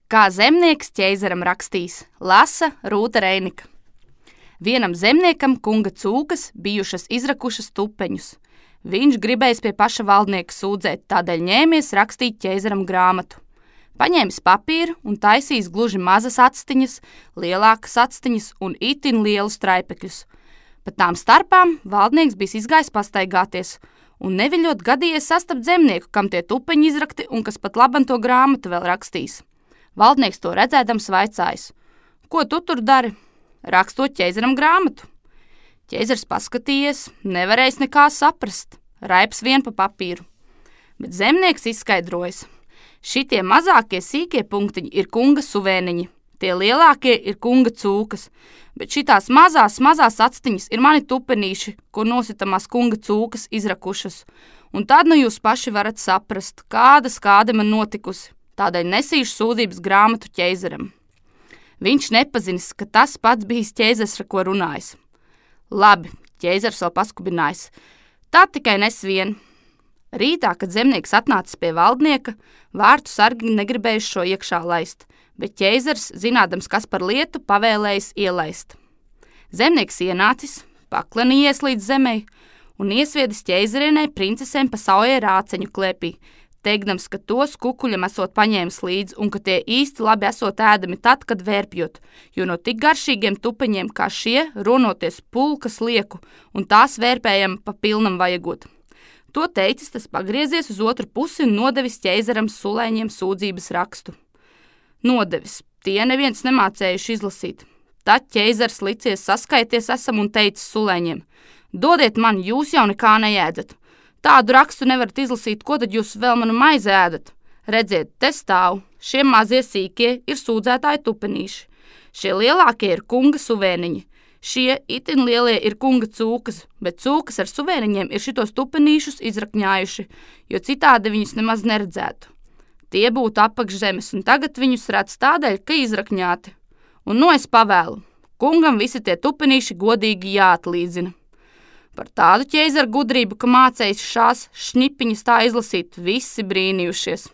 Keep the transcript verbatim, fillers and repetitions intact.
Kā zemnieks ķeizaram rakstīs, lasa Rūta Reinika. Vienam zemniekam kunga cūkas bijušas izrakušas tupeņus. Viņš gribējis pie paša valdnieka sūdzēt, tādēļ ņēmies rakstīt ķeizaram grāmatu. Paņēmis papīru un taisījis gluži mazas actiņas, lielākas actiņas un itin lielus traipekļus. Pa tām starpām valdnieks bijis izgājis pastaigāties un neviļot gadījies sastapt zemnieku, kam tie tupeņi izrakti un kas pat laban to grāmatu vēl rakstīs. Valdnieks to redzēdams vaicājis: ko tu tur dari? Rakstot ķeizaram grāmatu. Ķeizars paskatījies, nevarējis nekā saprast, raips vien pa papīru. Bet zemnieks izskaidrojas: šitie mazākie sīkie punktiņi ir kunga suvēniņi, tie lielākie ir kunga cūkas, bet šitās mazās, mazās actiņas ir mani tupenīši, ko nositamās kunga cūkas izrakušas. Un tad nu jūs paši varat saprast, kāda skāde man notikusi. Tādēļ nesīšu sūdzības grāmatu ķeizaram. Viņš nepazinis, ka tas pats bijis ķeizars, ar ko runājis. Labi, ķeizars vēl paskubinājis. Tā tikai nes vien. Rītā, kad zemnieks atnācis pie valdnieka, vārtu sargi negribējuši šo iekšā laist, bet ķeizars, zinādams, kas par lietu, pavēlējis ielaist. Zemnieks ienācis, paklenījies līdz zemei un iesviedis ķeizarienei princesēm pa saujai rāceņu klēpī, teikdams, ka tos kukuļam esot paņēmis līdzi un ka tie īsti labi esot ēdami tad, kad vērpjot, jo no tik garšīgiem tupeņiem kā šie ronoties pulkas lieku un tās vērpējam pa pilnam vajagot. To teicis, tas pagriezies uz otru pusi un nodevis ķeizaram sulēņiem sūdzības rakstu. Nodevis, tie neviens nemācējuši izlasīt. Tad ķeizars licies saskaities esam un teicis sulēņiem: dodiet man, jūs jau nekā neēdat. Tādu rakstu nevarat izlasīt, ko tad jūs vēl manu maizi ēdat? Redziet, te stāv, šie mazie sīkie ir sūdzētāji tupenīši. Šie lielākie ir kunga suvēniņi. Šie itin lielie ir kunga cūkas, bet cūkas ar suvēniņiem ir šitos tupenīšus izrakņājuši, jo citādi viņus nemaz neredzētu. Tie būtu apakšzemes, un tagad viņus redz tādēļ, ka izrakņāti. Un nu es pavēlu, kungam visi tie tupenīši godīgi jāatlīdzina. Par tādu ķeizaru gudrību, ka mācējis šās šņipiņas tā izlasīt, visi brīnījušies.